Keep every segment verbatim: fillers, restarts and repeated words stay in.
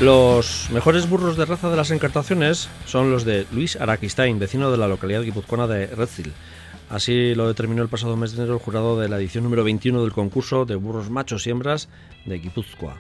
Los mejores burros de raza de las encartaciones son los de Luis Araquistain, vecino de la localidad guipuzcoana de Retzil. Así lo determinó el pasado mes de enero el jurado de la edición número veintiuno del concurso de burros machos y hembras de Guipúzcoa.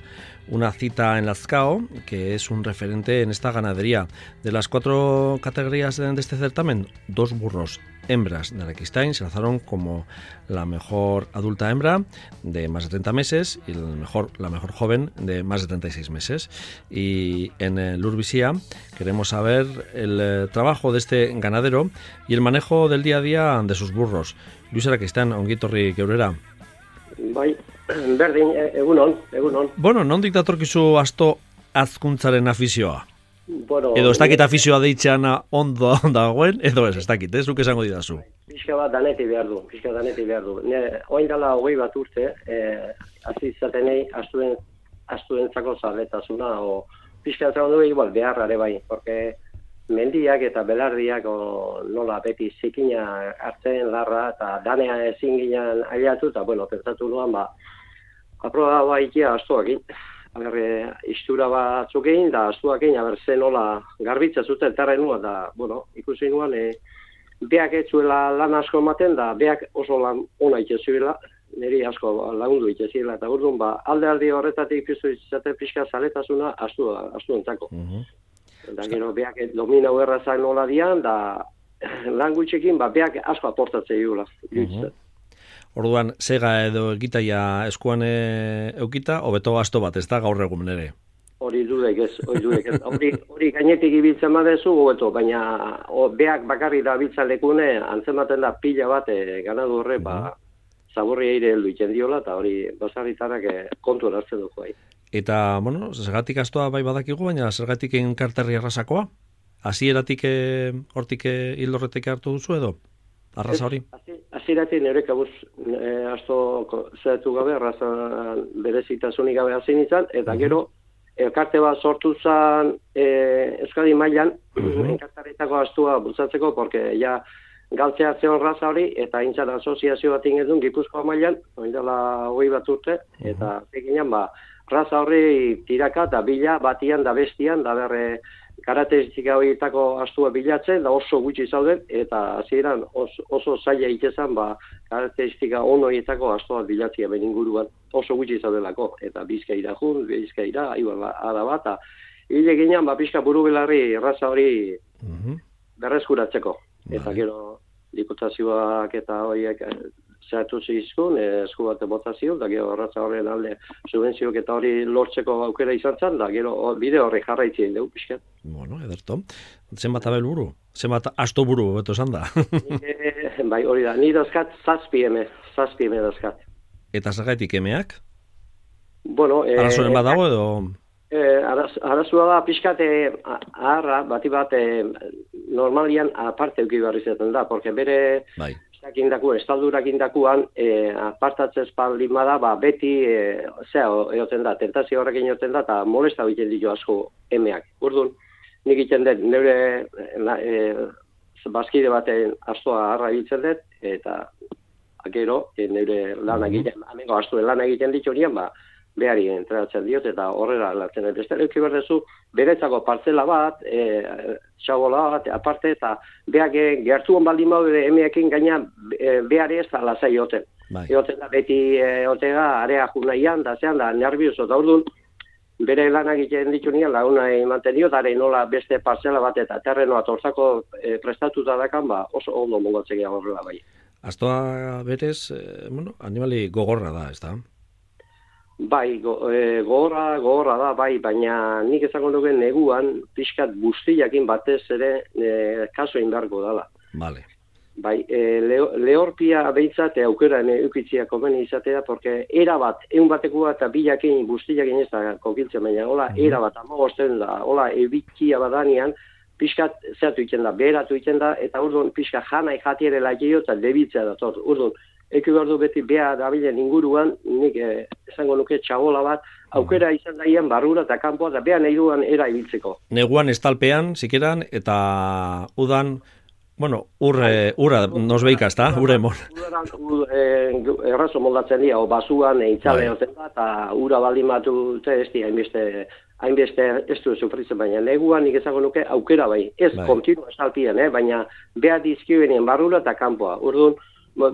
Una cita en Lazcao, que es un referente en esta ganadería. De las cuatro categorías de este certamen, dos burros hembras de Araquistain se lanzaron como la mejor adulta hembra de más de treinta meses y el mejor, la mejor joven de más de treinta y seis meses. Y en el Urbisía queremos saber el eh, trabajo de este ganadero y el manejo del día a día de sus burros. Luis Araquistain, ongitorri geurera. Bai, berdin, egunon, egunon. Bueno, nondik datorkizu asto azkuntzaren afizioa? Bueno, edo ez dakit afizioa deitzeana ondo dagoen, edo ez, ez dakit, ez, zuk esango didazu. Pixka bat daneti behar du, pixka daneti behar du. Ne, oin dela hogei bat urte, eh, hasi izatenei astuen, astuentzako zaletasuna, o pixka zagon du igual beharrare bai, porque mendiak eta belardiak o, nola beti zikina hartzen larra, eta danea ezin ginen ailatu, eta bueno, pentsatu nuan, ba, aproba baikia astuakin. Aber, istura batzuk egin, da astuak egin, aber zen nola garbitza zuten terren nua, da, bueno, ikusi nuan, e, beak etzuela lan asko ematen, da beak oso lan ona itxezuela, niri asko lagundu itxezuela, eta urduan, ba, alde aldi horretatik piztu izate pixka zaletasuna astu, astuentzako. Uh-huh. Da, gero, beak domina errazak nola dian, da, lan gutxekin, ba, beak asko aportatzea jula. Uh-huh. Orduan, sega edo egitaia eskuan eukita, hobeto asto bat, ez da gaur egun ere? Hori dudek ez, hori dudek ez. Hori, hori gainetik ibiltzen badezu, hobeto, baina o, beak bakarri da biltzen lekune, antzematen da pila bat, e, ganadu horre, ba, zaborri eire heldu iten diola, eta hori basarritarak e, kontu erazten dugu. Bai. Eta, bueno, zergatik astoa bai badakigu, baina zergatik enkarterri arrasakoa? Hasieratik hortik hildorretik hartu duzu edo? Arraza hori? Hasieratik nire kabuz e, asto zeratu gabe, arraza berezitasunik gabe hasi nintzen, eta uh-huh. gero elkarte bat sortu zen e, Euskadi mailan, uh-huh. enkartaritako astua bultzatzeko, porque ja galtzea zeon raza hori, eta intzat asoziazio bat ingedun Gipuzkoa mailan, oindela hogei bat urte, uh-huh. eta eginean, ba, raza horri tiraka eta bila batian da bestian, da berre karakteristika horietako astua bilatzen, da oso gutxi zauden, eta hasieran oso, oso zaila itezan, ba, karakteristika on horietako astua bilatzia ben inguruan, oso gutxi zaudelako, eta Bizkaira jun, Bizkaira, aibar, ada bat, eta hile ginean, ba, pixka buru belarri raza hori uh-huh. berreskuratzeko, eta vale. Gero diputazioak eta horiek zehatu zizkun, esku bat botazio, da gero raza horren alde subvenziok eta hori lortzeko aukera izan zen, da gero bide horri jarraitzien dugu pixkat. Bueno, ederto. Zenbat abel buru? Zenbat asto buru, beto esan da? e, bai, hori da. Ni dazkat zazpi eme, zazpi eme dazkat. Eta zergaitik emeak? Bueno, e, arazoren bat dago edo? E, araz, arazua da pixkat aharra, bati bat e, normalian aparte euki barri zaten da, porque bere bai. Estaldurak indakuan e, apartatzez baldin bada, ba, beti e, zea egoten da, tentazio horrekin egoten da, eta molesta egiten ditu asko emeak. Urduan, nik egiten dut, neure e, bazkide baten astoa harra egiten dut, eta gero, e, neure lan egiten, amengo astuen lan egiten ditu nian, ba, behari entrenatzen diot, eta horrela latzen dut. Beste leuki berdezu, beretzako partzela bat, e, txabola bat, aparte, eta behak gertuan baldin baude emeekin gaina e, behari ez da lasai joten. Bai. Joten da beti e, otega, area junaian, da zean, da nervioso, da urduan, bere lanak egiten ditu nian, laguna ematen dio, dare nola beste partzela bat, eta terrenoa torzako e, prestatuta dakan, ba, oso ondo mongotzea horrela bai. Astoa berez, eh, bueno, animali gogorra da, ez da? Bai, go, e, gogorra, gogorra da, bai, baina nik ezango dugu neguan pixkat guztiakin batez ere e, kaso indarko dala. Vale. Bai, e, leo, lehorpia behintzat aukera eukitzia komeni izatea, porque era bat, egun batekua eta bilakin guztiakin ez da kokiltzen, baina hola, mm-hmm. era bat, amagosten da, hola, ebikia badanean, pixkat zeratu iten da, beheratu iten da, eta urduan pixkat janai jatierela gehiago eta debitzea da, tot, urduan, eki behar du beti beha dabilen inguruan, nik eh, esango nuke txabola bat, aukera izan daien barrura eta kanpoa, eta beha nahi duan era ibiltzeko. Neguan estalpean, zikeran, eta udan, bueno, urre, urra nosbeika, ezta? Urre mol. Udan errazo moldatzen dira, o basuan eitzale hoten da, eta ura baldin batu ez dira, hainbeste hainbeste ez du sufritzen, baina neguan nik ezago nuke aukera bai, ez bai. Kontinu esalpien, eh? Baina beha dizkibenen barrura eta kanpoa. Urduan,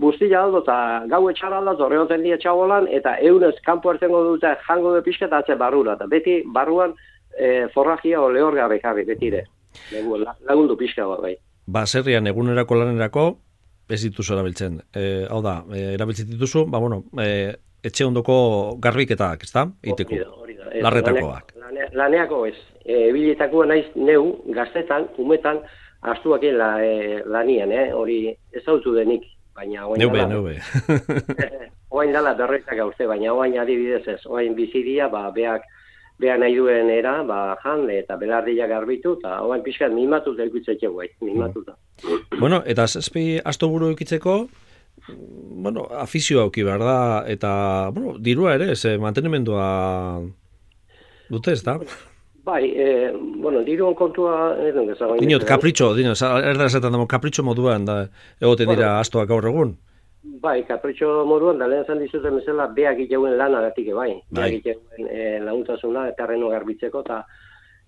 guztia aldo eta gau etxara aldo, horregoten dia txabolan, eta eunez kanpo ertengo dute jango du pixka eta atze barrura. Eta beti barruan e, forragia o lehor gabe karri, betire. Lagundu pixka bat bai. Baserrian egunerako lanerako, ez dituzu erabiltzen. E, hau da, e, erabiltzen dituzu, ba bueno, e, etxe ondoko garbiketak, ez da? Iteko. Larretakoak. Lane, laneako ez. E, Biletakoa naiz neu, gaztetan, umetan, astuak la, e, lanian, eh? Hori ezautu denik, baina oain neube, dala. Neube, oain dala berretak uste, baina oain adibidez ez. Oain bizidia, ba, beak, beha nahi duen era, ba, jan, eta belardia garbitu, eta oain pixkat mimatu da ikutzetxe guai, mimatu da. Bueno, eta zazpi astoburu ikitzeko, bueno, afizio auki behar da, eta, bueno, dirua ere, ez, mantenimendua dute, ez da? Bai, e, bueno, diruan kontua... Dinot, kapritxo, dinot, erda esaten dago, kapritxo moduan, da, egoten dira bueno, astoak gaur egun? Bai, kapritxo moduan, da lehen zan dizuten bezala, beak iteuen lana gatik, bai. bai. Beak iteuen e, laguntasuna, terreno garbitzeko, eta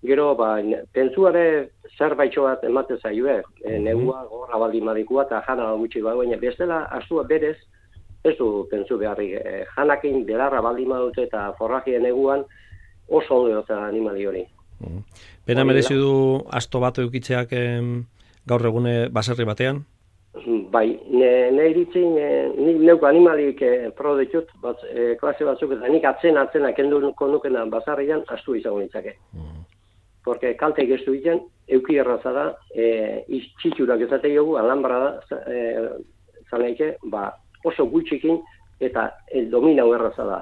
gero, ba, pentsuare zerbaitxo bat ematen zaio, e, negua, gorra baldin madikua, eta jana gutxi bai, baina bestela, astua berez, ez du pentsu beharrik, e, janakin belarra baldin madute, eta forragien neguan, oso ondo eta animali hori. Mm. Pena merezi du asto bat eukitzeak em, gaur egune baserri batean? Bai, ne, ne iritzi, ne, ne, neuko animalik e, pro ditut, bat, e, klase batzuk, eta nik atzen atzena kenduko nukena basarrian astu izango nitzake. Mm. Porque kalte geztu egiten, euki erraza da, e, txitxurak ezate jogu, alambra da, e, zanaike, ba, oso gutxikin, eta el domina erraza da.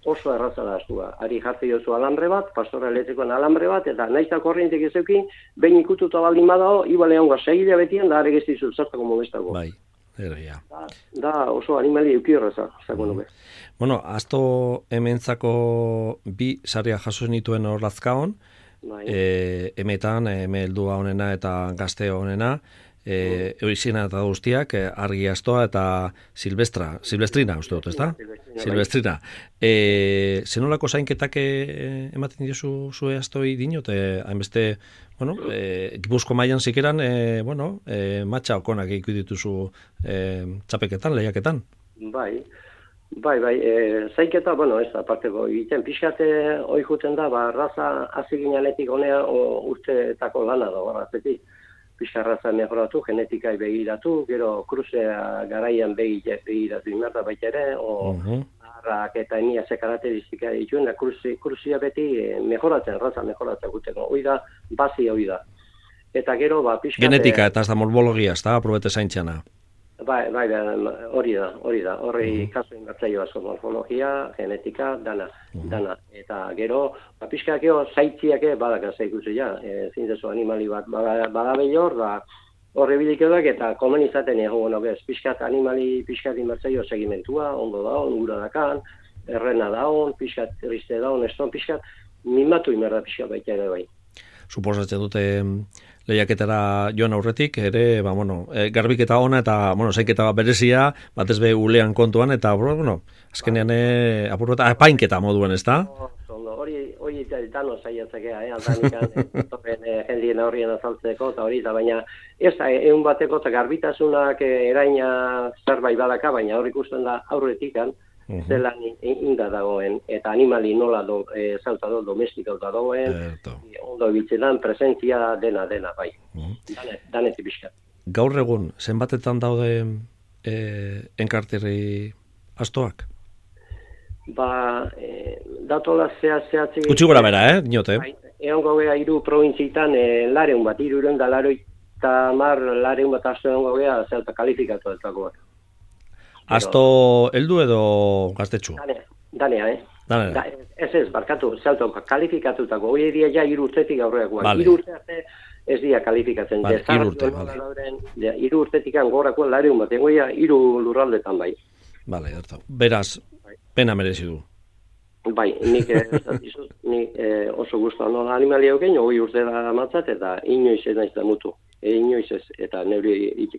Oso erraza da astua. Ari jartze jozu alambre bat, pastora elektrikoan alambre bat, eta naizta korrientek ezeukin, behin ikututa baldin badao, ibale hongo segila betien, da are gezti zurtzartako modestako. Bai, ero, ja. Da, da oso animali euki erraza, zako nuke. Bueno, asto hementzako bi saria jaso nituen hor lazkaon, bai. e, emetan, eme heldua honena eta gazte honena, E, Eurizina eta guztiak, e, argi astoa eta silvestra, silvestrina, uste dut, ez da? Silvestrina. Silvestrina. E, zenolako zainketak e, ematen diozu zue astoi dinot, e, hainbeste, bueno, e, Gipuzko mailan zikeran, e, bueno, e, matxa okonak ikudituzu e, txapeketan, lehiaketan. Bai, bai, bai, e, zainketa, bueno, ez da, parteko, egiten pixkate hoi juten da, ba, raza aziginanetik honea urteetako lana da, barrazetik. Pixarraza mejoratu, genetika begiratu, gero kruzea garaian begiratu imerda baita ere, o uh-huh. arrak eta enia ze karakteristika dituen, da kruzia beti mejoratzen, raza mejoratzen guteko. Hoi da, bazi hoi da. Eta gero, ba, pixkate... Genetika eta ez da morfologia, ez da, aprobete zaintxana. Bai, bai, hori da, hori da. Horri uh-huh. kasu inbertzaio asko, morfologia, genetika, dana, uh-huh. dana. Eta gero, ba, pixkakeo zaitziake badaka zaikuzi ja, e, zintezu animali bat badabe hor, da horri bilikeodak eta komen izaten egon gono bez. Pixkat animali, pixkat inbertzaio segimentua, ondo da, ongura dakan, errena daun, pixkat triste daun, eston, pixkat mimatu imerda pixkat baita ere bai. Suposatzen dute lehiaketara joan aurretik, ere, ba, bueno, e, garbiketa ona eta, bueno, zainketa berezia, batez be ulean kontuan, eta, bueno, azkenean e, apurrota, apainketa moduan, ez da? Hori, hori dano zaiatzakea, eh, aldanikan, torren eh, jendien horrien azaltzeko, eta hori, eta baina, ez da, egun bateko, eta garbitasunak eh, eraina zerbait badaka, baina hor ikusten da aurretikan, Uh-huh. zelan inda dagoen, eta animali nola do, e, zauta do, domestikauta dagoen, e, ondo biltzenan, presentzia dena, dena, bai. Uh-huh. Danet, danetik pixka. Gaur egun, zenbatetan daude e, enkarterri astoak? Ba, e, datola zea zehatzik... Gutxi gora bera, eh, dinote? Bai, egon gogea iru provintzitan e, lareun bat, iru iron da laroita mar lareun bat asto egon gogea zelta kalifikatu dutakoak. Asto heldu edo gaztetxu? Danea, danea, eh? Danea. Da, ez ez, barkatu, zelto kalifikatutako, hori edia ja iru urtetik aurreakoak. Vale. Iru urte arte ez dia kalifikatzen. Vale, iru urte, vale. De, iru urtetik angorakoan lareun bat, egoia iru lurraldetan bai. Vale, harto. Beraz, bai. Pena merezi du. Bai, nik eh, dizut, nik eh, oso guztuan nola animalia euken, hori urte da matzat, eta inoiz ez naiz da mutu. e, inoiz ez, eta neuri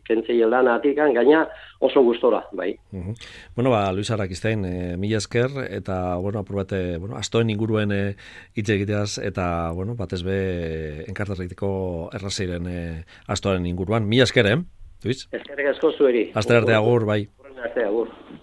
kentzeien lana atikan, gaina oso gustora, bai. Uh-huh. Bueno, ba, Luis Arakistain, e, mila esker, eta, bueno, apur bate, bueno, astoen inguruen e, hitz egiteaz, eta, bueno, batez be, enkarterritiko errazeiren e, astoaren inguruan. Mila esker, eh, Luis? Eskerrik asko zueri. Aster arte agur, bai. Arte agur.